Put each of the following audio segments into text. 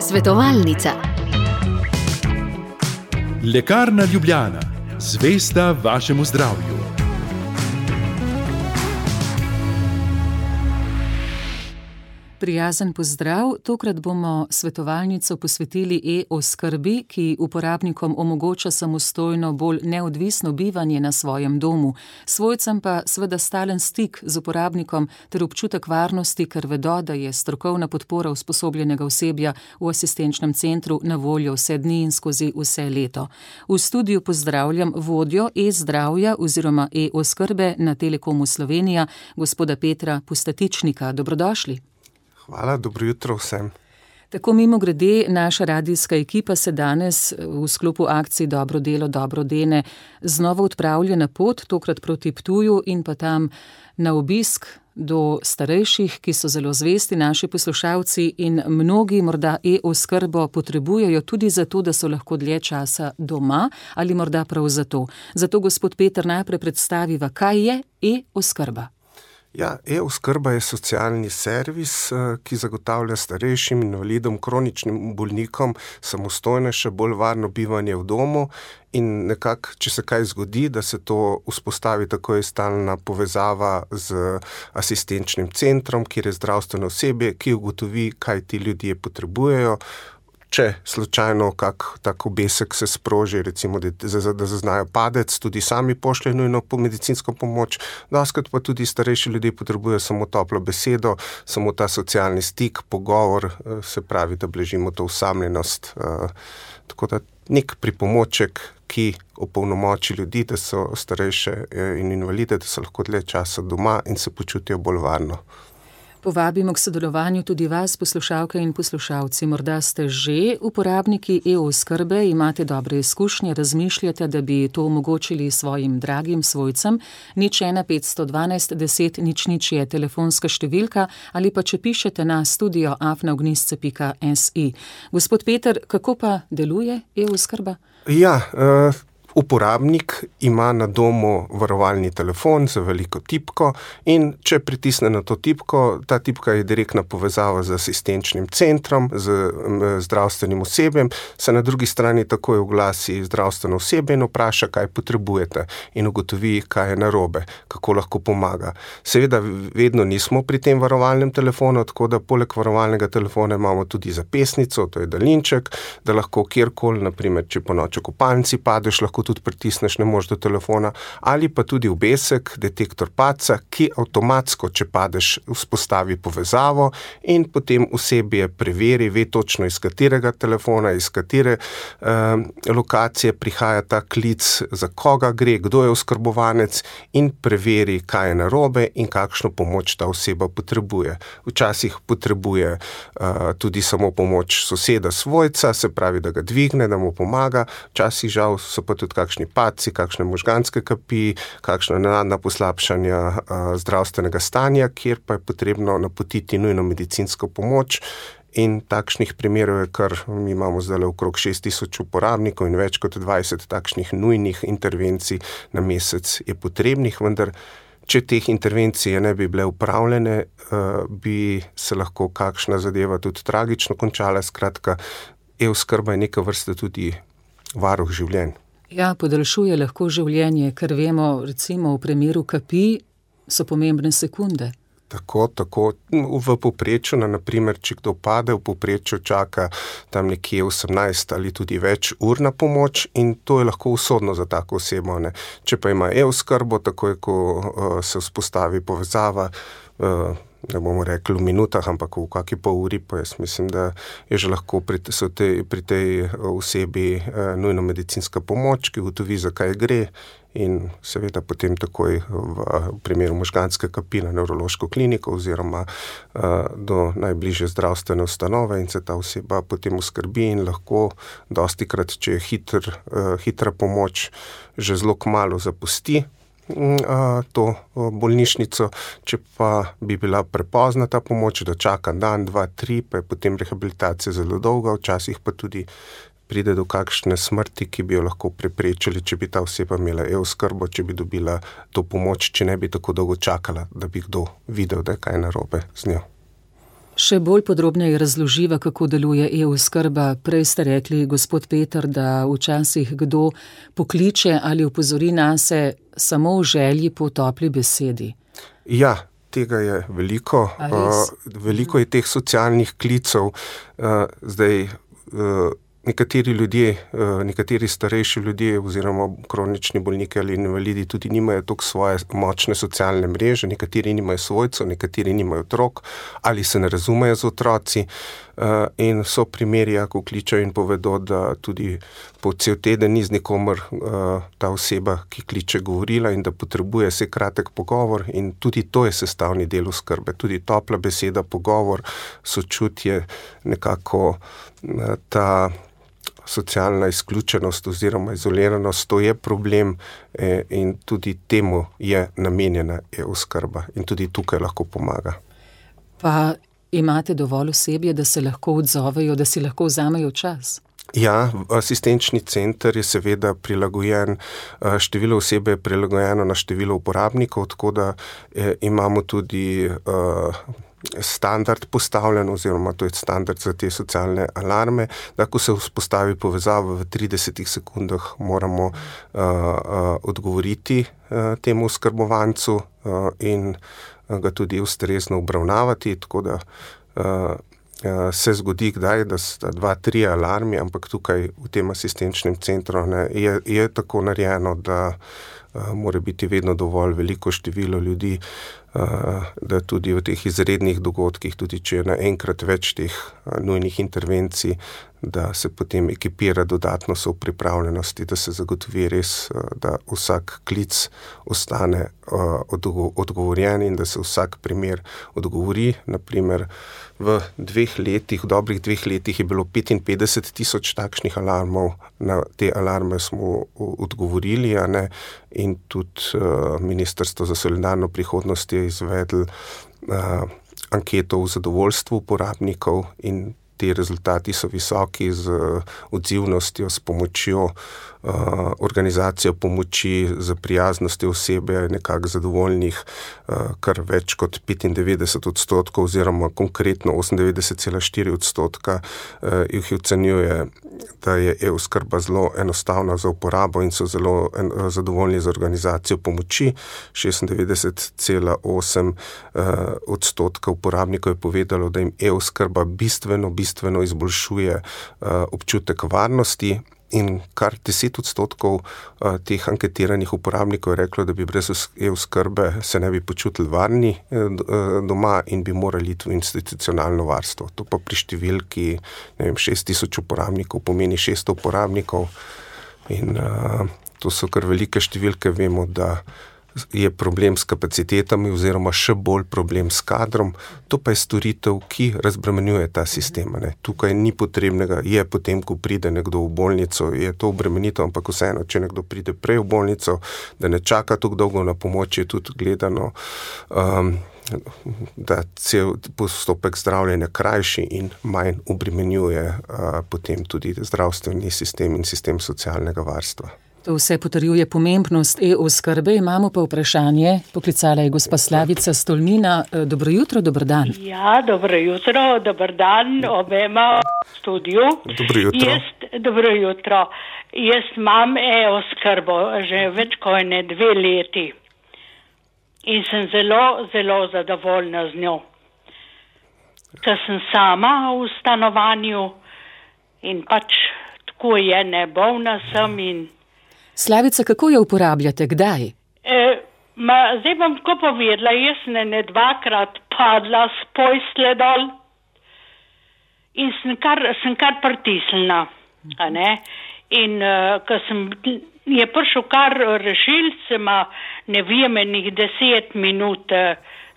Svetovalnica. Lekarna Ljubljana, zvesta vašemu zdravju. Prijazen pozdrav, tokrat bomo svetovalnico posvetili e-oskrbi, ki uporabnikom omogoča samostojno, bolj neodvisno bivanje na svojem domu, svojcem pa seveda stalen stik z uporabnikom ter občutek varnosti, ker vedo, da je strokovna podpora usposobljenega osebja v asistenčnem centru na voljo vse dni in skozi vse leto. V studiu pozdravljam vodjo e-zdravja oziroma e-oskrbe na Telekomu Slovenija, gospoda Petra Pustatičnika. Dobrodošli. Hvala, dobro jutro vsem. Tako mimogrede, naša radijska ekipa se danes v sklopu akcij Dobro delo, dobro dene znova odpravlja na pot, tokrat proti Ptuju in pa tam na obisk do starejših, ki so zelo zvesti naši poslušalci in mnogi morda e-oskrbo potrebujejo tudi zato, da so lahko dlje časa doma ali morda prav zato. Zato gospod Peter najprej predstaviva, kaj je e-oskrba. Ja, e-oskrba je socialni servis, ki zagotavlja starejšim, invalidom, kroničnim bolnikom samostojnejše, bolj varno bivanje v domu in nekako, če se kaj zgodi, da se to vzpostavi, tako je stalna povezava z asistenčnim centrom, kjer je zdravstveno osebje, ki ugotovi, kaj ti ljudje potrebujejo. Če slučajno kak tak obesek se sproži, recimo, da zaznajo padec, tudi sami pošljejo nujno po medicinsko pomoč, doskrat pa tudi starejši ljudje potrebujejo samo toplo besedo, samo ta socialni stik, pogovor, se pravi, da blažimo to osamljenost. Tako da nek pripomoček, ki opolnomoči ljudi, da so starejše in invalide, da so lahko dlje časa doma in se počutijo bolj varno. Povabimo k sodelovanju tudi vas, poslušalke in poslušalci. Morda ste že uporabniki e-oskrbe, imate dobre izkušnje, razmišljate, da bi to omogočili svojim dragim svojcem. 01 512 10 00 je telefonska številka ali pa če pišete na studio@ognisce.si. Gospod Peter, kako pa deluje e-oskrba? Ja, uporabnik ima na domu varovalni telefon z veliko tipko in če pritisne na to tipko, ta tipka je direktna povezava z asistenčnim centrom, z zdravstvenim osebjem, se na drugi strani takoj oglasi zdravstveno osebje in vpraša, kaj potrebujete in ugotovi, kaj je narobe, kako lahko pomaga. Seveda vedno nismo pri tem varovalnem telefonu, tako da poleg varovalnega telefona imamo tudi zapestnico, to je daljinček, da lahko kjerkoli, naprimer, če po noči v kopalnici padeš, lahko tudi pritisneš na mož do telefona, ali pa tudi obesek, detektor padca, ki avtomatsko, če padeš, vzpostavi povezavo in potem osebje preveri, ve točno iz katerega telefona, iz katere lokacije prihaja ta klic, za koga gre, kdo je oskrbovanec in preveri, kaj je narobe in kakšno pomoč ta oseba potrebuje. Včasih potrebuje tudi samo pomoč soseda, svojca, se pravi, da ga dvigne, da mu pomaga, včasih žal so pa tudi kakšni padci, kakšne možganske kapi, kakšna nenadna poslabšanja zdravstvenega stanja, kjer pa je potrebno napotiti nujno medicinsko pomoč. In takšnih primerov je kar, mi imamo zdaj okrog 6000 uporabnikov in več kot 20 takšnih nujnih intervencij na mesec je potrebnih, vendar če teh intervencij ne bi bile upravljene, bi se lahko kakšna zadeva tudi tragično končala. Skratka, e-oskrba je neka vrsta tudi varuh življenj. Ja, podaljšuje lahko življenje, ker vemo, recimo v primeru kapi so pomembne sekunde. Tako, v povprečju, naprimer, če kdo pade, v povprečju čaka tam nekje 18 ali tudi več ur na pomoč in to je lahko usodno za tako osebo, ne. Če pa ima e-oskrbo, takoj, ko se vzpostavi povezava, ne bomo rekli v minutah, ampak v kakšni pol uri, pa jaz mislim, da je že lahko pri tej osebi nujno medicinska pomoč, ki ugotovi, za kaj gre in seveda potem takoj v primeru možganske kapi na nevrološko kliniko oziroma do najbližje zdravstvene ustanove in se ta oseba potem oskrbi in lahko dostikrat, če je hitra pomoč, že zelo kmalu zapusti to bolnišnico, če pa bi bila prepozna ta pomoč, da čaka dan, 2, 3, pa je potem rehabilitacija zelo dolga, včasih pa tudi pride do kakšne smrti, ki bi jo lahko preprečili, če bi ta oseba imela e-oskrbo, če bi dobila to pomoč, če ne bi tako dolgo čakala, da bi kdo videl, da je kaj narobe z njo. Še bolj podrobneje razloživa, kako deluje e-oskrba. Prej ste rekli, gospod Peter, da včasih kdo pokliče ali opozori nase samo v želji po topli besedi. Ja, tega je veliko. Veliko je teh socialnih klicev. Zdaj, nekateri ljudje, nekateri starejši ljudje oziroma kronični bolniki ali invalidi tudi nimajo toliko svoje močne socialne mreže, nekateri nimajo svojcev, nekateri nimajo otrok ali se ne razumejo z otroci. In so primeri, ko kličejo in povedo, da tudi po cel teden ni z nikomer ta oseba, ki kliče, govorila in da potrebuje se kratek pogovor, in tudi to je sestavni del oskrbe. Tudi topla beseda, pogovor, sočutje, nekako ta socialna izključenost oziroma izoliranost, to je problem in tudi temu je namenjena e-oskrba in tudi tukaj lahko pomaga. Pa imate dovolj osebja, da se lahko odzovejo, da si lahko vzamejo čas? Ja, asistenčni center je seveda prilagojen, število osebe je prilagojeno na število uporabnikov, tako da imamo tudi standard postavljen, oziroma to je standard za te socialne alarme, da ko se vzpostavi povezava v 30 sekundah, moramo odgovoriti temu oskrbovancu in ga tudi ustrezno obravnavati, tako da se zgodi kdaj, da sta 2-3 alarmi, ampak tukaj v tem asistenčnem centru je tako narejeno, da mora biti vedno dovolj veliko število ljudi, da tudi v teh izrednih dogodkih, tudi če je naenkrat več teh nujnih intervencij, da se potem ekipira dodatno so v pripravljenosti, da se zagotovi res, da vsak klic ostane odgovorjen in da se vsak primer odgovori. Naprimer, v dobrih 2 letih je bilo 55,000 takšnih alarmov, na te alarme smo odgovorili, in tudi Ministrstvo za solidarno prihodnost je izvedlo anketo o zadovoljstvu uporabnikov in ti rezultati so visoki z odzivnostjo, s pomočjo, organizacijo pomoči, z prijaznostjo osebe, nekako zadovoljnih, kar več kot 95% oziroma konkretno 98,4% jih ocenjuje, da je e-oskrba zelo enostavna za uporabo in so zelo zadovoljni z organizacijo pomoči. 96,8% uporabnikov je povedalo, da jim e-oskrba bistveno izboljšuje občutek varnosti, in kar 10% teh anketiranih uporabnikov je reklo, da bi brez e-oskrbe se ne bi počutili varni doma in bi morali iti v institucionalno varstvo. To pa pri številki 6,000 uporabnikov pomeni 600 uporabnikov in to so kar velike številke. Vemo, da je problem s kapacitetami oziroma še bolj problem s kadrom, to pa je storitev, ki razbremenjuje ta sistem. Tukaj ni potrebnega, je potem, ko pride nekdo v bolnico, je to obremenitev, ampak vseeno, če nekdo pride prej v bolnico, da ne čaka tako dolgo na pomoč, je tudi gledano, da cel postopek zdravljenja krajši in manj obremenjuje potem tudi zdravstveni sistem in sistem socialnega varstva. To vse potrjuje pomembnost e-oskrbe. Imamo pa vprašanje. Poklicala je gospa Slavica Stolmina. Dobro jutro, dober dan. Ja, dobro jutro, dober dan obema v studiu. Dobro jutro. Dobro jutro. Jaz imam e-oskrbo že več kot 2 leti in sem zelo zadovoljna z njo. Ker sem sama v stanovanju in pač tako je, ne bolna sem in Slavica, kako jo uporabljate? Kdaj? Zdaj bom tako povedala, jaz sem 2-krat padla s postelje dol in sem kar pritisnila. In ko je prišel kar rešilc, ne vem, 10 minut,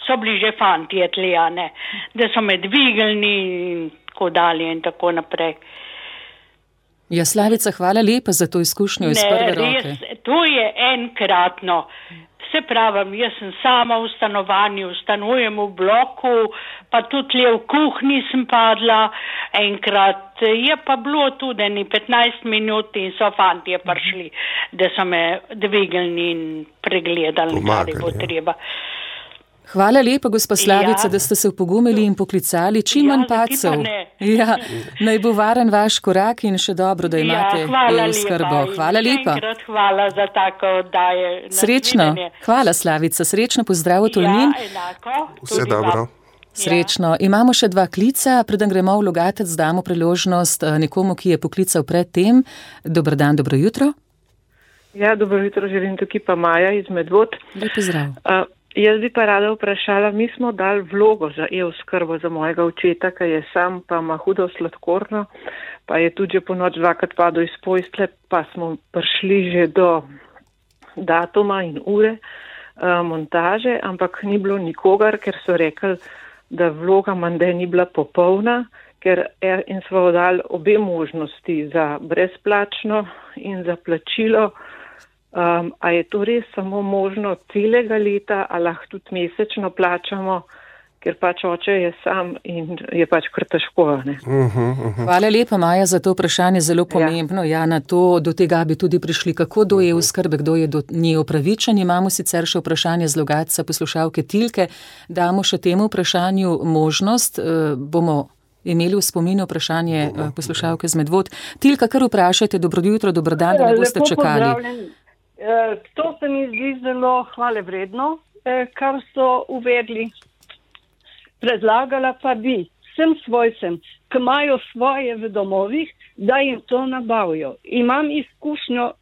so bili že fantje tli, da so me dvignili in tako dalje in tako naprej. Ja, Slavica, hvala lepa za to izkušnjo iz prve roke. Res, to je enkratno. Se pravim, jaz sem sama v stanovanju, stanujem v bloku, pa tudi v kuhinji sem padla enkrat. Je pa bilo tudi 15 minut in so fantje prišli, da so me dvignili in pregledali, kar je bo treba. Hvala lepa, gospa Slavica, da ste se opogumili in poklicali. Čim manj padcev. Ja, naj bo varen vaš korak in še dobro, da imate e-oskrbo. Hvala lepa. Hvala za tako oddaje. Srečno. Hvala, Slavica. Srečno, pozdrav v Tolmin. Ja, enako. Vse dobro. Srečno. Imamo še 2 klica. Preden gremo v Logatec, damo priložnost nekomu, ki je poklical pred tem. Dober dan, dobro jutro. Ja, dobro jutro, želim tukaj pa Maja iz Medvod. Lep pozdrav. Jaz bi pa rada vprašala, mi smo dali vlogo za e-oskrbo za mojega očeta, ki je sam, pa ima hudo sladkorno, pa je tudi že po noč 2krat padel iz postelje, pa smo prišli že do datuma in ure montaže, ampak ni bilo nikogar, ker so rekli, da vloga menda ni bila popolna, in smo dali obe možnosti za brezplačno in za plačilo. A je to res samo možno celega leta, ali lahko tudi mesečno plačamo, ker pač oče je sam in je pač kar težko. Ne? Hvala lepa, Maja, za to vprašanje, zelo pomembno. Ja, do tega bi tudi prišli, kako do e-oskrbe, kdo je do nje upravičen. Imamo sicer še vprašanje z Logatca poslušalke Tilke. Damo še temu vprašanju možnost. Bomo imeli v spominu vprašanje poslušalke z Medvod. Tilka, kar vprašajte, dobro jutro, dobro dan, da ne boste čakali. To se mi zdi zelo hvalevredno, kar so uvedli. Predlagala pa bi vsem svojcem, ki imajo svoje v domovih, da jim to nabavijo. Imam izkušnjo,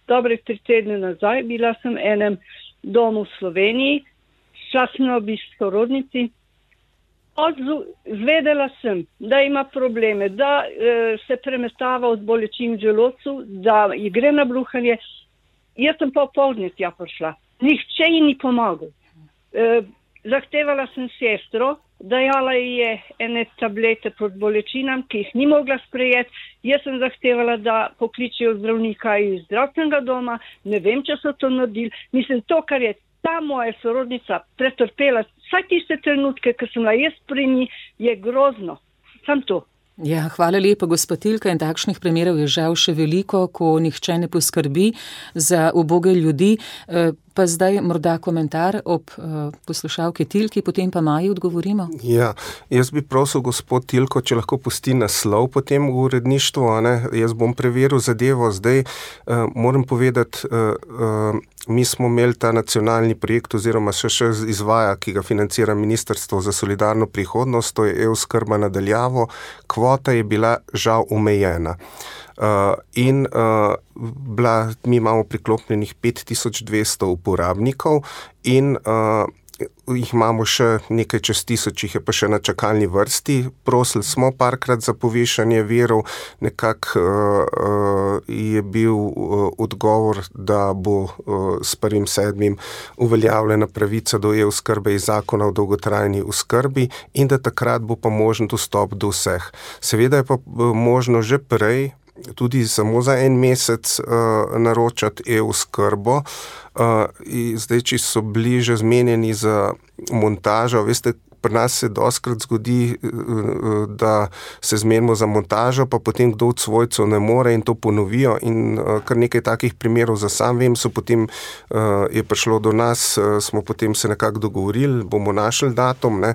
dobre 3 tedne nazaj, bila sem v enem domu v Sloveniji, časno obisk sorodnici. Zvedela sem, da ima probleme, da se premetava od bolečin v želodcu, da ji gre na bruhanje. Jaz sem pa opoldne tja prišla. Nihče ji ni pomagal. Zahtevala sem sestro, dajala ji je ene tablete proti bolečinam, ki jih ni mogla sprejeti. Jaz sem zahtevala, da pokličijo zdravnika iz zdravstvenega doma. Ne vem, če so to naredili. Mislim, to, kar je ta moja sorodnica pretrpela, vsaj tiste trenutke, ki sem bila jaz pri njih, je grozno. Sam to. Ja, hvala lepa, gospod Tilka, in takšnih primerov je žal še veliko, ko nihče ne poskrbi za uboge ljudi. Pa zdaj morda komentar ob poslušalki Tilki, potem pa Maji odgovorimo. Ja, jaz bi prosil gospod Tilko, če lahko pusti naslov potem v uredništvu, jaz bom preveril zadevo. Zdaj moram povedati, mi smo imeli ta nacionalni projekt oziroma še izvaja, ki ga financira Ministrstvo za solidarno prihodnost, to je e-oskrba na daljavo. Kvota je bila žal omejena. Mi imamo priklopljenih 5200 uporabnikov in jih imamo še nekaj čez 1000, jih je pa še na čakalni vrsti. Prosili smo parkrat za povišanje virov, nekako je bil odgovor, da bo s 1.7. uveljavljena pravica do e-oskrbe iz zakona o dolgotrajni oskrbi in da takrat bo pa možen dostop do vseh. Seveda je pa možno že prej, tudi samo za 1 mesec naročati e-oskrbo. Zdaj, če so bili že zmenjeni za montažo, veste, pri nas se dostkrat zgodi, da se zmenimo za montažo, pa potem kdo od svojcev ne more in to ponovijo in kar nekaj takih primerov za sam vem, potem je prišlo do nas, smo potem se nekako dogovorili, bomo našli datum, ne.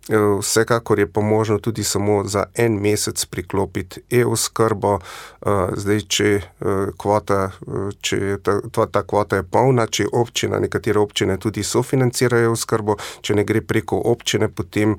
Vsekakor je pa možno tudi samo za 1 mesec priklopiti e-oskrbo. Zdaj, če ta kvota je polna, če občina, nekatere občine tudi sofinancirajo e-oskrbo, če ne gre preko občine, potem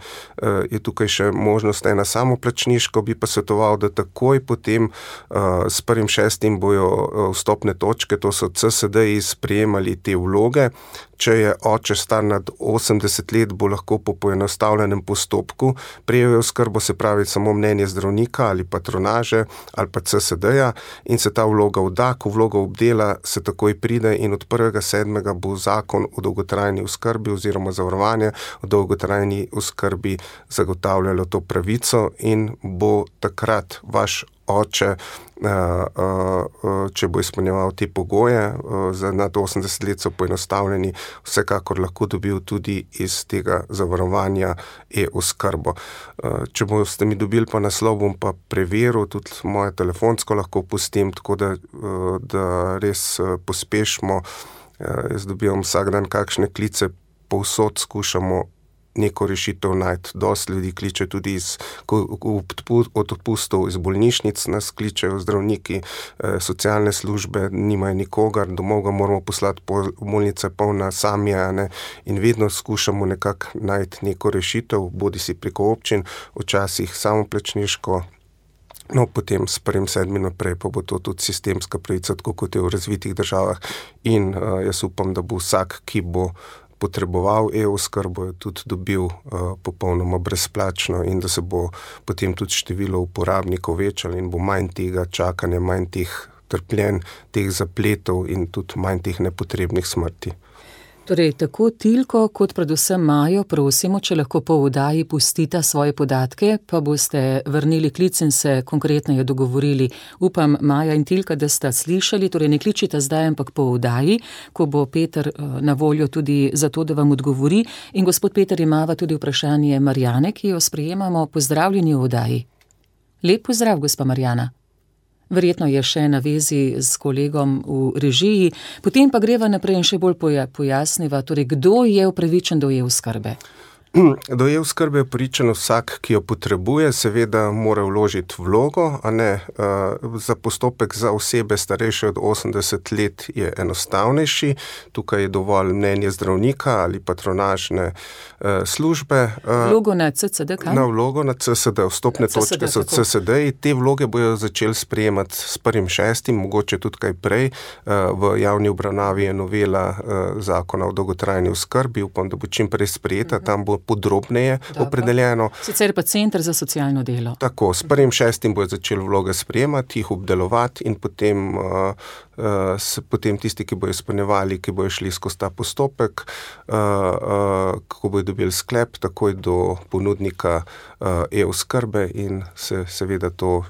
je tukaj še možnost ena samoplačniško, bi pa svetoval, da takoj potem s 1.6. bojo vstopne točke, to so CSD-ji, sprejemali te vloge. Če je oče star nad 80 let, bo lahko po poenostavljenem postopku prejel e-oskrbo, se pravi samo mnenje zdravnika ali patronaže ali pa CSD-ja in se ta vloga vda, ko vloga obdela, se takoj pride in od 1.7. bo zakon o dolgotrajni oskrbi oziroma zavarovanje o dolgotrajni oskrbi zagotavljalo to pravico in bo takrat vaš oče, če bo izpolnjeval te pogoje, za nad 80 let so poenostavljeni, vsekakor lahko dobil tudi iz tega zavarovanja e-oskrbo. Če boste mi dobili pa naslov, bom pa preveril, tudi moje telefonsko lahko pustim, tako da res pospešimo. Jaz dobivam vsak dan kakšne klice povsod skušamo neko rešitev najti. Dosti ljudi kliče tudi od odpustov iz bolnišnic, nas kličejo zdravniki, socialne službe, nimajo nikogar, domov ga moramo poslati, bolnice polna samija, ne, in vedno skušamo nekako najti neko rešitev, bodi si preko občin, včasih samoplačniško, no, potem s 1.7. naprej pa bo to tudi sistemska pravica, tako kot je v razvitih državah, in jaz upam, da bo vsak, ki bo potreboval e-oskrbo, je tudi dobil popolnoma brezplačno in da se bo potem tudi število uporabnikov večalo in bo manj tega čakanja, manj teh trpljenj, teh zapletov in tudi manj teh nepotrebnih smrti. Torej, tako Tilko kot predvsem Majo prosimo, če lahko po oddaji pustita svoje podatke, pa boste vrnili klic in se konkretneje dogovorili. Upam, Maja in Tilka, da sta slišali, torej ne kličita zdaj, ampak po oddaji, ko bo Peter na voljo tudi za to, da vam odgovori. In gospod Peter, imava tudi vprašanje Marjane, ki jo sprejemamo. Pozdravljeni v oddaji. Lep pozdrav, gospa Marjana. Verjetno je še na vezi s kolegom v režiji, potem pa greva naprej in še bolj pojasniva, torej kdo je upravičen do e-oskrbe? Do e-oskrbe je upravičen vsak, ki jo potrebuje, seveda mora vložiti vlogo, a ne, za postopek za osebe starejše od 80 let je enostavnejši, tukaj je dovolj mnenje zdravnika ali patronažne službe. Vlogo na CSD, kaj? Na vlogo na CSD, vstopne točke so CSD, te vloge bojo začeli sprejemati s 1.6., mogoče tudi kaj prej, v javni obravnavi je novela zakona o dolgotrajni oskrbi, upam, da bo čim prej sprejeta, tam bo podrobneje opredeljeno. Sicer pa Center za socialno delo. Tako, s 1.6. bojo začeli vloge sprejemati, jih obdelovati in potem tisti, ki bojo izpolnjevali, ki bojo šli skozi ta postopek, kako bojo dobili sklep, takoj do ponudnika e-oskrbe in se seveda to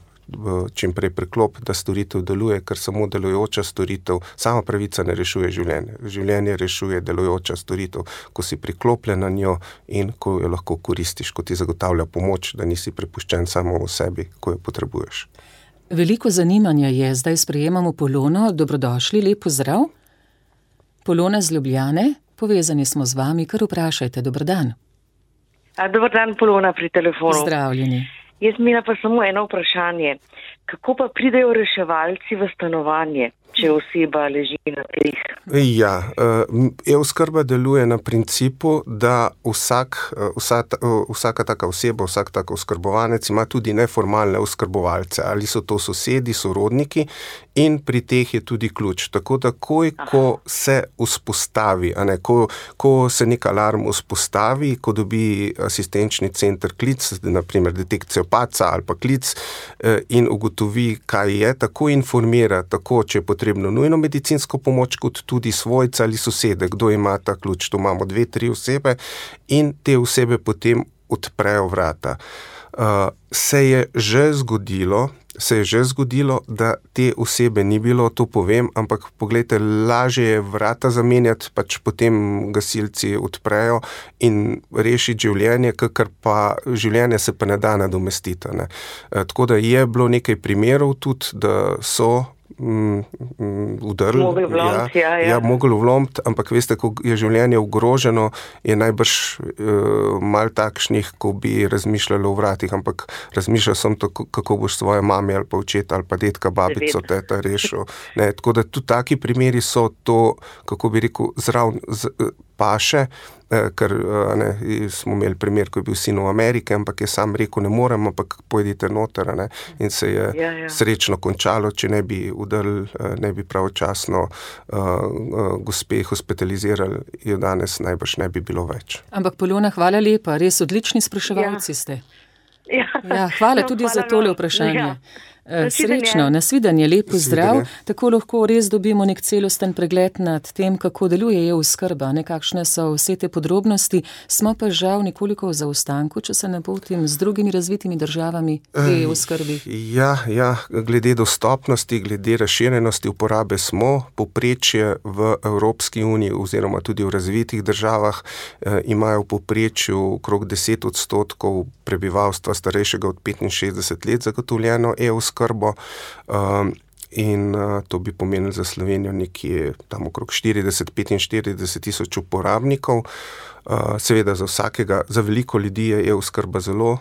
čim prej preklop, da storitev deluje, ker samo delujoča storitev, sama pravica ne rešuje življenje. Življenje rešuje delujoča storitev, ko si priklopljen na njo in ko jo lahko koristiš, ko ti zagotavlja pomoč, da nisi prepuščen samo v sebi, ko jo potrebuješ. Veliko zanimanja je, zdaj sprejemamo Polono, dobrodošli, lep pozdrav. Polona z Ljubljane, povezani smo z vami, kar vprašajte, dober dan. Dober dan, Polona pri telefonu. Zdravljeni. Jaz imam pa samo eno vprašanje. Kako pa pridejo reševalci v stanovanje, če oseba leži na tleh? Ja, e-oskrba deluje na principu, da vsaka taka oseba, vsak tak oskrbovanec ima tudi neformalne oskrbovalce, ali so to sosedi, sorodniki, in pri teh je tudi ključ. Tako da, ko se vzpostavi, ko se nek alarm vzpostavi, ko dobi asistenčni center klic, naprimer detekcijo padca ali pa klic, in ugotovi, kaj je, tako informira, tako, če je potrebno nujno medicinsko pomoč, kot tudi svojca ali sosede, kdo ima ta ključ. Tu imamo 2-3 osebe in te osebe potem odprejo vrata. Se je že zgodilo, da te osebe ni bilo, to povem, ampak poglejte, lažje je vrata zamenjati, pač potem gasilci odprejo in rešiti življenje, kakor pa življenje se pa ne da nadomestiti, ne. Tako da je bilo nekaj primerov tudi, da so udrli. Mogli vlomiti, ampak veste, ko je življenje ogroženo, je najbrž malo takšnih, ko bi razmišljali o vratih, ampak razmišljal sem tako, kako boš svoje mami ali pa očeta ali pa detka, babico, teta rešil. Ne, tako da tudi taki primeri so to, kako bi rekel, zraven paše, ker smo imeli primer, ko je bil sin v Ameriki, ampak je sam rekel, ne morem, ampak pojdite noter, ne, in se je srečno končalo, če ne bi udrli, ne bi pravočasno gospe hospitalizirali, jo danes najbrž ne bi bilo več. Ampak Polona, hvala lepa, res odlični spraševalci ste. Hvala tudi za tole vprašanje. Srečno, nasvidenje, lep pozdrav. Tako lahko res dobimo nek celosten pregled nad tem, kako deluje e-oskrba, kakšne so vse te podrobnosti. Smo pa žal nekoliko v zaostanku, če se ne motim, z drugimi razvitimi državami e-oskrbi. Ja, glede dostopnosti, glede razširjenosti uporabe smo. Povprečje v Evropski uniji oziroma tudi v razvitih državah imajo v povprečju okrog 10% prebivalstva starejšega od 65 let zagotovljeno e-oskrbo. in to bi pomenilo za Slovenijo nekje tam okrog 40-45 tisoč uporabnikov. Seveda za veliko ljudi je e-oskrba zelo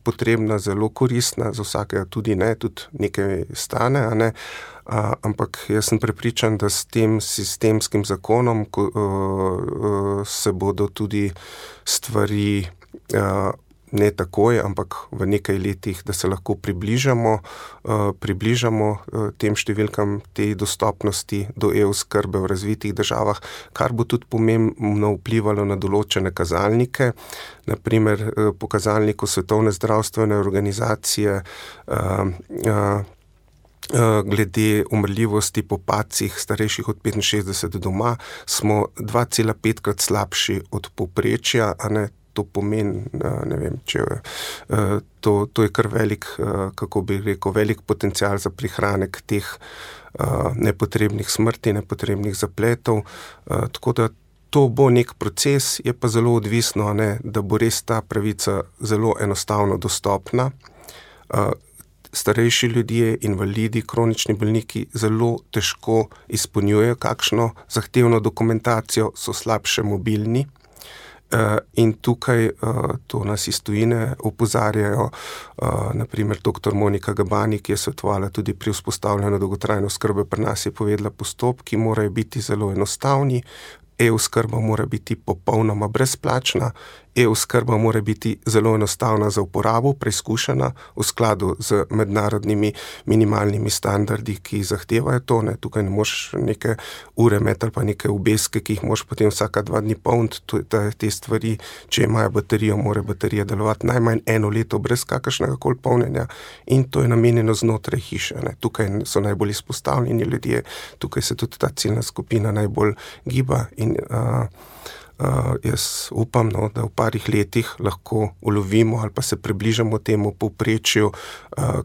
potrebna, zelo koristna, za vsakega tudi ne, tudi nekaj stane, ne? Ampak jaz sem prepričan, da s tem sistemskim zakonom se bodo tudi stvari ne takoj, ampak v nekaj letih, da se lahko približamo tem številkam, tej dostopnosti do e-oskrbe v razvitih državah, kar bo tudi pomembno vplivalo na določene kazalnike. Naprimer, po kazalniku Svetovne zdravstvene organizacije glede umrljivosti po padcih starejših od 65 doma smo 2,5-krat slabši od povprečja, a ne. To pomeni, ne vem, to je kar velik, kako bi rekel, velik potencial za prihranek teh nepotrebnih smrti, nepotrebnih zapletov, tako da to bo nek proces, je pa zelo odvisno, ne, da bo res ta pravica zelo enostavno dostopna. Starejši ljudje, invalidi, kronični bolniki zelo težko izpolnjujejo kakšno zahtevno dokumentacijo, so slabše mobilni. In tukaj to nas iz tujine opozarjajo, naprimer dr. Monika Gabani, ki je svetovala tudi pri vzpostavljanju dolgotrajne oskrbe pri nas, je povedala, postopki morajo biti zelo enostavni, e-oskrba mora biti popolnoma brezplačna, e-oskrba mora biti zelo enostavna za uporabo, preizkušena v skladu z mednarodnimi minimalnimi standardi, ki zahtevajo to. Ne. Tukaj ne moš neke ure imeti ali pa neke obeske, ki jih moš potem vsaka 2 dni polniti. Te stvari, če imajo baterijo, mora baterija delovati najmanj 1 leto brez kakršnega koli polnjenja in to je namenjeno znotraj hiše. Ne. Tukaj so najbolj izpostavljeni ljudje, tukaj se tudi ta ciljna skupina najbolj giba in jaz upam, da v parih letih lahko ulovimo ali pa se približamo temu povprečju,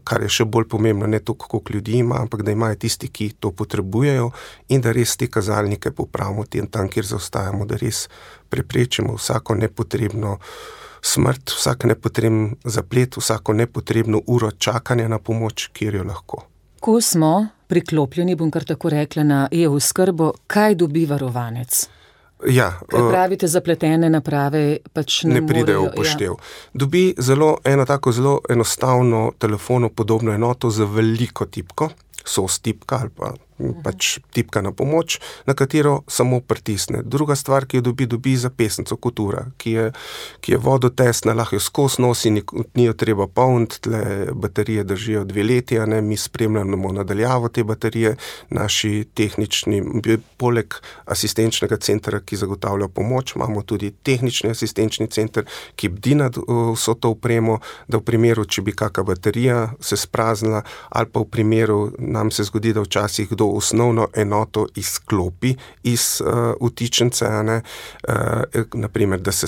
kar je še bolj pomembno, ne to, koliko ljudi ima, ampak da imajo tisti, ki to potrebujejo in da res te kazalnike popravimo tam, kjer zaostajamo, da res preprečimo vsako nepotrebno smrt, vsak nepotreben zaplet, vsako nepotrebno uro čakanja na pomoč, kjer jo lahko. Ko smo priklopljeni, bom kar tako rekla, na e-oskrbo, kaj dobi varovanec? Ja, kaj pravite, zapletene naprave pač ne pridejo v poštev. Dobi eno tako zelo enostavno telefono podobno enoto z veliko tipko, SOS tipka ali pa pač tipka na pomoč, na katero samo pritisne. Druga stvar, ki jo dobi zapestnico kot ura, ki je vodotesna, lahko jo skozi nosi, ni jo treba polniti, tle baterije držijo 2 leti, a ne, mi spremljamo nadaljavo te baterije, naši tehnični, poleg asistenčnega centra, ki zagotavlja pomoč, imamo tudi tehnični asistenčni center, ki bdi nad vso to opremo, da v primeru, če bi kakšna baterija se spraznila, ali pa v primeru, nam se zgodi, da včasih kdo osnovno enoto izklopi iz vtičnice, naprimer, da se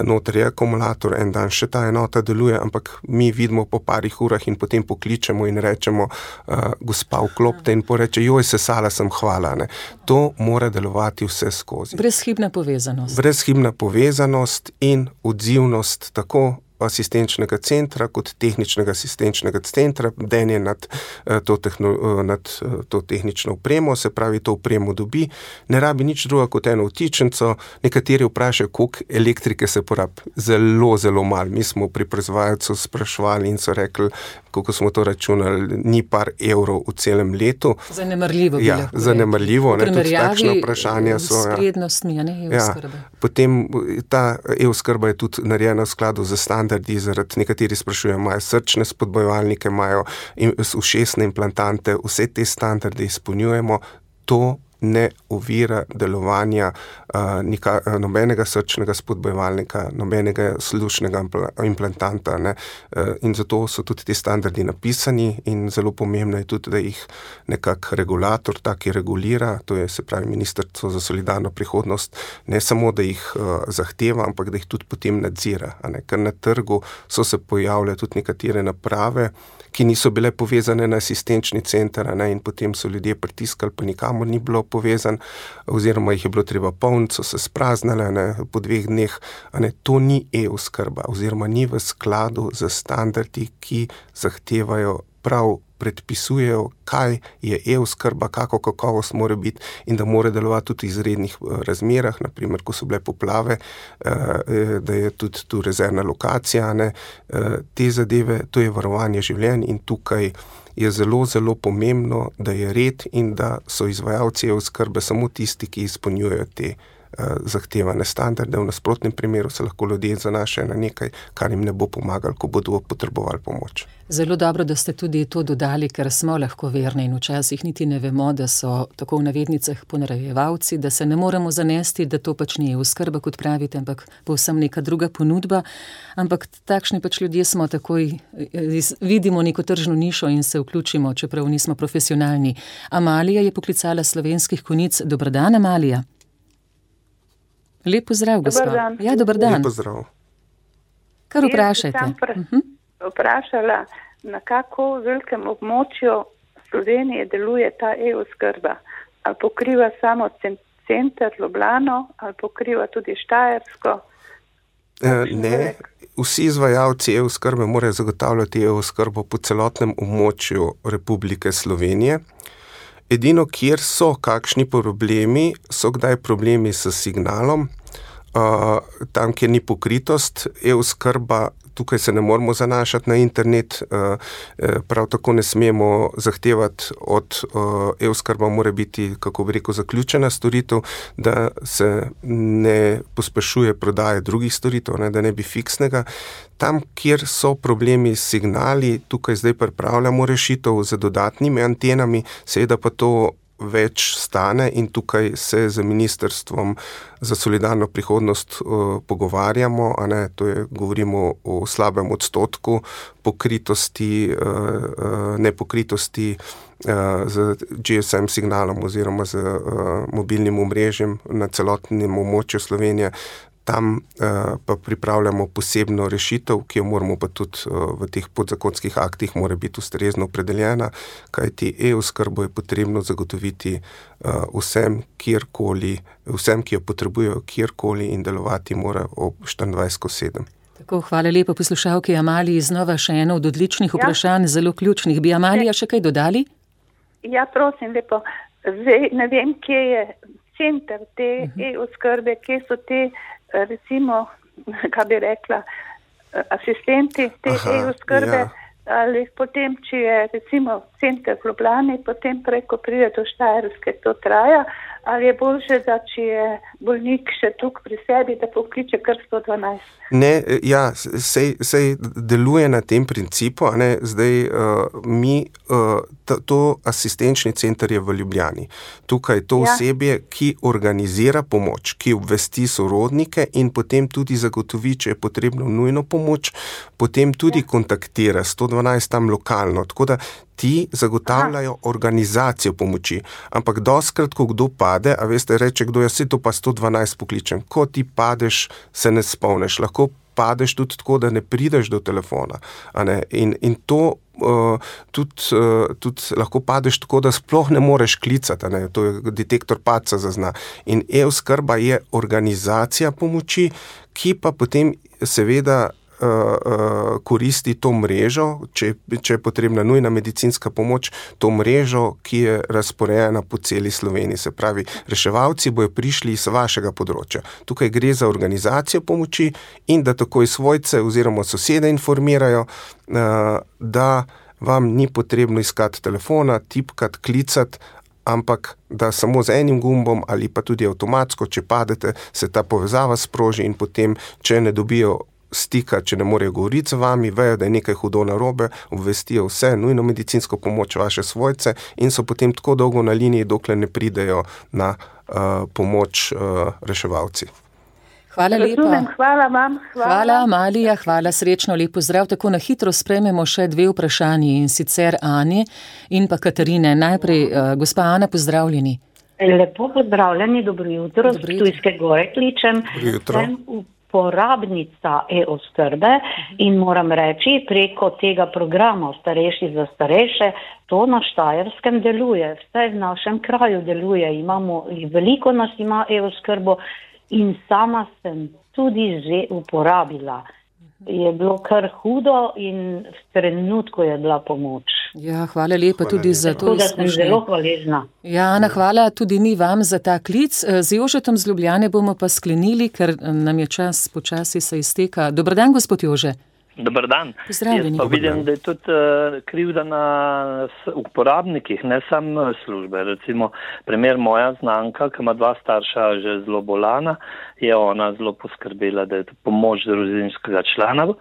noter je akumulator, en dan še ta enota deluje, ampak mi vidimo po parih urah in potem pokličemo in rečemo, gospa, vklopite in poreče, joj, sesala sem, hvala. Ne. To mora delovati vse skozi. Brezhibna povezanost. Brezhibna povezanost in odzivnost tako asistenčnega centra kot tehničnega asistenčnega centra, bdenje nad to tehnično opremo, se pravi, to opremo dobi, ne rabi nič druga kot eno vtičnico, nekateri vprašajo, koliko elektrike se porabi, zelo, zelo malo. Mi smo pri proizvajalcu spraševali in so rekli, koliko smo to računali, ni par evrov v celem letu. Zanemarljivo bi lahko. Ja, zanemarljivo, ne, tudi takšne vprašanja so. S prednostmi, a ne, e-oskrbe. Ja, potem ta e-oskrba je tudi narejena v skladu z standardi, zaradi nekateri sprašujejo, imajo srčne spodbojevalnike, imajo ušesne implantante, vse te standarde izpolnjujemo, to ne ovira delovanja nobenega srčnega spodbojevalnika, nobenega slušnega implantanta, ne. In zato so tudi ti standardi napisani in zelo pomembno je tudi, da jih nekak regulator taki regulira, to je se pravi Ministrstvo za solidarno prihodnost, ne samo, da jih zahteva, ampak da jih tudi potem nadzira, a ne. Ker na trgu so se pojavile tudi nekatere naprave, ki niso bile povezane na asistenčni center, a ne, in potem so ljudje pritiskali, pa nikamor ni bilo povezan, oziroma jih je bilo treba polniti, so se spraznile, ne, po 2 dneh, a ne, to ni e-oskrba, oziroma ni v skladu z standardi, ki zahtevajo prav predpisujejo, kaj je e-oskrba, kako kakovost mora biti in da mora delovati tudi v izrednih razmerah, naprimer, ko so bile poplave, da je tudi tu rezervna lokacija, ne, te zadeve, to je varovanje življenj in tukaj je zelo, zelo pomembno, da je red in da so izvajalci e-oskrbe samo tisti, ki izpolnjujejo te zahtevane standarde. V nasprotnem primeru se lahko ljudje zanašajo na nekaj, kar jim ne bo pomagalo, ko bodo potrebovali pomoč. Zelo dobro, da ste tudi to dodali, ker smo lahko verni in včasih niti ne vemo, da so tako v navednicah ponarejevalci, da se ne moremo zanesti, da to pač ni oskrba, kot pravite, ampak povsem neka druga ponudba. Ampak takšni pač ljudje smo, takoj vidimo neko tržno nišo in se vključimo, čeprav nismo profesionalni. Amalija je poklicala Slovenskih Konjic. Dober dan, Amalija. Lep pozdrav, gospa. Dobar dan. Ja, dober dan. Lep pozdrav. Kar vprašajte. Jaz sem vprašala, na kako velikem območju Slovenije deluje ta e-oskrba. Ali pokriva samo center Ljubljano, ali pokriva tudi Štajersko? Ne, vsi izvajalci e-oskrbe morajo zagotavljati e-oskrbo po celotnem območju Republike Slovenije. Edino, kjer so kakšni problemi, so kdaj problemi s signalom, tam, kjer ni pokritost, e-oskrba, tukaj se ne moramo zanašati na internet, prav tako ne smemo zahtevati od e-oskrba, mora biti, kako bi rekel, zaključena storitev, da se ne pospešuje prodaje drugih storitev, ne, da ne bi fiksnega. Tam, kjer so problemi s signali, tukaj zdaj pripravljamo rešitev z dodatnimi antenami, seveda pa to več stane in tukaj se z Ministrstvom za solidarno prihodnost pogovarjamo, a ne, to je, govorimo o slabem odstotku pokritosti, nepokritosti z GSM signalom oziroma z mobilnim omrežjem na celotnem območju Slovenije. Tam pa pripravljamo posebno rešitev, ki jo moramo pa tudi v teh podzakonskih aktih mora biti ustrezno opredeljena, kajti e-oskrbo je potrebno zagotoviti vsem, kjerkoli, vsem, ki jo potrebujejo kjerkoli in delovati mora ob 24/7. Tako, hvala lepa poslušalki Amaliji. Znova še eno od odličnih vprašanj, zelo ključnih. Bi Amalija še kaj dodali? Ja, prosim lepo. Zdaj ne vem, kje je center te e-oskrbe, kje so te, recimo, kaj bi rekla, asistenti te e-oskrbe, ali potem, če je recimo center v Ljubljani, potem preko pride do Štajerske, to traja, ali je boljše, da če je bolnik še tukaj pri sebi, da pokliče kar 112? Ne, ja, sej deluje na tem principu, a ne, zdaj to asistenčni center je v Ljubljani. Tukaj to osebje, ki organizira pomoč, ki obvesti sorodnike in potem tudi zagotovi, če je potrebno nujno pomoč, potem tudi kontaktira 112 tam lokalno, tako da ti zagotavljajo organizacijo pomoči. Ampak dostikrat, ko kdo pade, a veste, reče kdo, jaz se to pa 112 pokličem. Ko ti padeš, se ne spomneš. Lahko padeš tudi tako, da ne prideš do telefona. A ne? In to tudi lahko padeš tako, da sploh ne moreš klicati. A ne? To je detektor padca zazna. In e-oskrba je organizacija pomoči, ki pa potem seveda koristi to mrežo, če je potrebna nujna medicinska pomoč, to mrežo, ki je razporejena po celi Sloveniji. Se pravi, reševalci bojo prišli iz vašega področja. Tukaj gre za organizacijo pomoči in da takoj svojce oziroma sosede informirajo, da vam ni potrebno iskati telefona, tipkati, klicati, ampak da samo z enim gumbom ali pa tudi avtomatsko, če padete, se ta povezava sproži in potem, če ne dobijo stika, če ne morejo govoriti z vami, vejo, da je nekaj hudo narobe, obvestijo vse, nujno medicinsko pomoč vaše svojce in so potem tako dolgo na liniji, dokler ne pridejo na pomoč reševalci. Hvala lepa. Hvala vam. Hvala, Amalija, hvala, srečno, lep pozdrav. Tako na hitro sprejmemo še 2 vprašanji, in sicer Ani in pa Katarine. Najprej, gospa Ana, pozdravljeni. Lepo pozdravljeni, dobro jutro, z Ptujske Gore kličem. Dobro jutro. Porabnica e-oskrbe in moram reči, preko tega programa Starejši za starejše, to na Štajerskem deluje, vsaj v našem kraju deluje, veliko nas ima e-oskrbo in sama sem tudi že uporabila. Je bilo kar hudo in v trenutku je bila pomoč. Ja, hvala lepa tudi za to izkušnjo. Sem zelo hvaležna. Ja, Ana, hvala tudi mi vam za ta klic. Z Jožetom z Ljubljane bomo pa sklenili, ker nam je čas počasi se izteka. Dober dan, gospod Jože. Dobar dan. Pozdravljeni. Jaz pa vidim, da je tudi krivda na uporabnikih, ne samo službe. Recimo, primer moja znanka, ki ima 2 starša že zelo bolana, je ona zelo poskrbela, da je pomoč družinskega člana,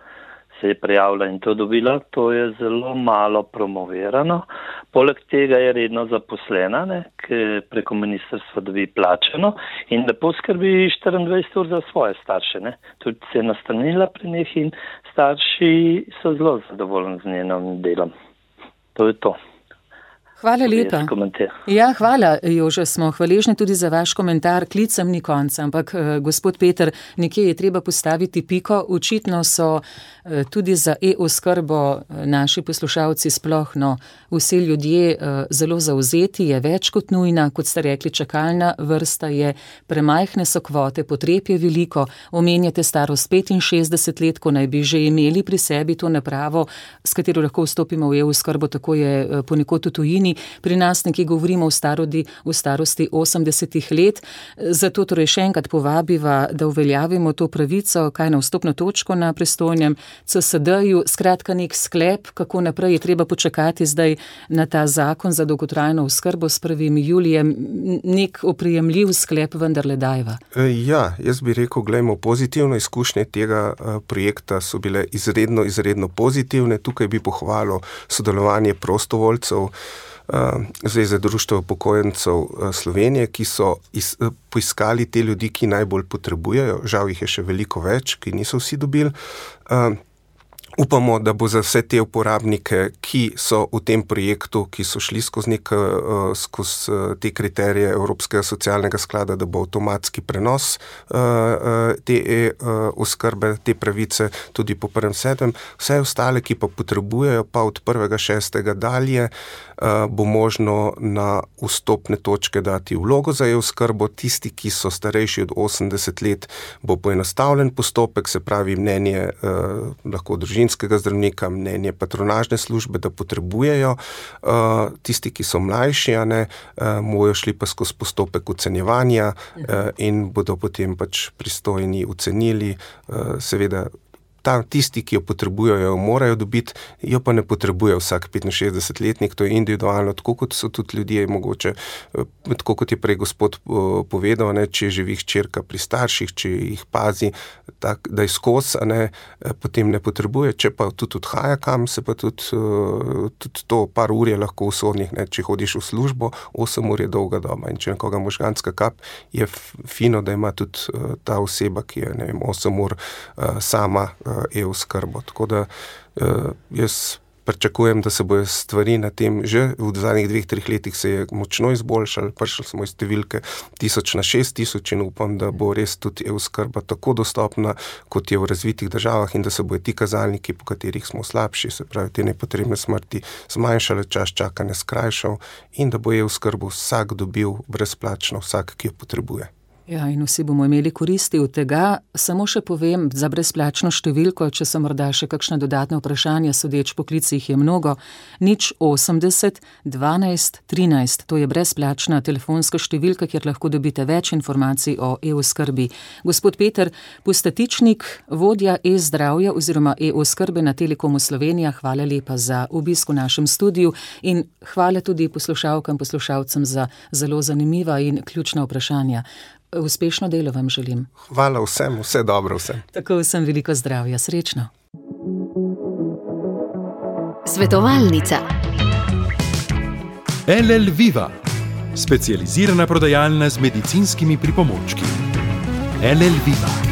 se je prijavila in to dobila. To je zelo malo promovirano. Poleg tega je redno zaposlena, ki preko ministrstva dobi plačeno in da poskrbi 24 ur za svoje starše. Tudi se je nastanila pri njih in starši so zelo zadovoljni z njenim delom. To je to. Hvala lepa. Ja, hvala, Jože, smo hvaležni tudi za vaš komentar. Klicem ni konca, ampak gospod Peter, nekje je treba postaviti piko. Očitno so tudi za e-oskrbo naši poslušalci sploh, vsi ljudje zelo zavzeti, je več kot nujna, kot ste rekli, čakalna vrsta je, premajhne so kvote, potreb je veliko, omenjate starost 65 let, ko naj bi že imeli pri sebi to napravo, s katero lahko vstopimo v e-oskrbo, tako je ponekod v tujini. Pri nas nekje govorimo v starosti 80 let, zato torej še enkrat povabiva, da uveljavimo to pravico, kaj na vstopno točko na pristojnem CSD-ju, skratka nek sklep, kako naprej je treba počakati zdaj na ta zakon za dolgotrajno oskrbo s 1. julijem, nek oprijemljiv sklep vendarle dajva. Ja, jaz bi rekel, glejmo, pozitivne izkušnje tega projekta so bile izredno pozitivne. Tukaj bi pohvalil sodelovanje prostovoljcev Zveze društev upokojencev Slovenije, ki so poiskali te ljudi, ki najbolj potrebujejo. Žal jih je še veliko več, ki niso vsi dobili. Upamo, da bo za vse te uporabnike, ki so v tem projektu, ki so šli skozi te kriterije Evropskega socialnega sklada, da bo avtomatski prenos te oskrbe, te pravice tudi po 1.7. Vse ostale, ki pa potrebujejo, pa od 1.6. dalje bo možno na vstopne točke dati vlogo za e-oskrbo. Tisti, ki so starejši od 80 let, bo poenostavljen postopek, se pravi mnenje lahko družinskega zdravnika, mnenje patronažne službe, da potrebujejo. Tisti, ki so mlajši, bojo šli pa skozi postopek ocenjevanja in bodo potem pač pristojni ocenili, seveda. Tisti, ki jo potrebujejo, morajo dobiti, jo pa ne potrebuje vsak 65-letnik, to je individualno, tako kot so tudi ljudje mogoče, tako kot je prej gospod povedal, če živi hčerka pri starših, če jih pazi, da je skozi, potem ne potrebuje, če pa tudi odhaja kam, se pa tudi to par ur je lahko usodnih, če hodiš v službo, 8 ur je dolga doba in če nekoga možganska kap, je fino, da ima tudi ta oseba, ki je 8 ur sama e-oskrbo. Tako da jaz pričakujem, da se bojo stvari na tem že v zadnjih 2-3 letih se je močno izboljšali, prišli smo iz številke 1000 na 6000 in upam, da bo res tudi e-oskrba tako dostopna, kot je v razvitih državah in da se bojo ti kazalniki, po katerih smo slabši, se pravi te nepotrebne smrti, zmanjšale, čas čakanja skrajšal in da bo e-oskrbo vsak dobil brezplačno, vsak, ki jo potrebuje. Ja, in vsi bomo imeli koristi od tega. Samo še povem za brezplačno številko, če so morda še kakšna dodatna vprašanja, sodeč po klicih je mnogo, 080 12 13, to je brezplačna telefonska številka, kjer lahko dobite več informacij o e-oskrbi. Gospod Peter Pustatičnik, vodja e-zdravja oziroma e-oskrbe na Telekomu Slovenija, hvala lepa za obisk v našem studiu in hvala tudi poslušalkam, poslušalcem za zelo zanimiva in ključna vprašanja. Uspešno delo vam želim. Hvala vsem, vse dobro vsem. Tako vsem veliko zdravja, srečno. Svetovalnica. LL Viva, specializirana prodajalna z medicinskimi pripomočki. LL Viva.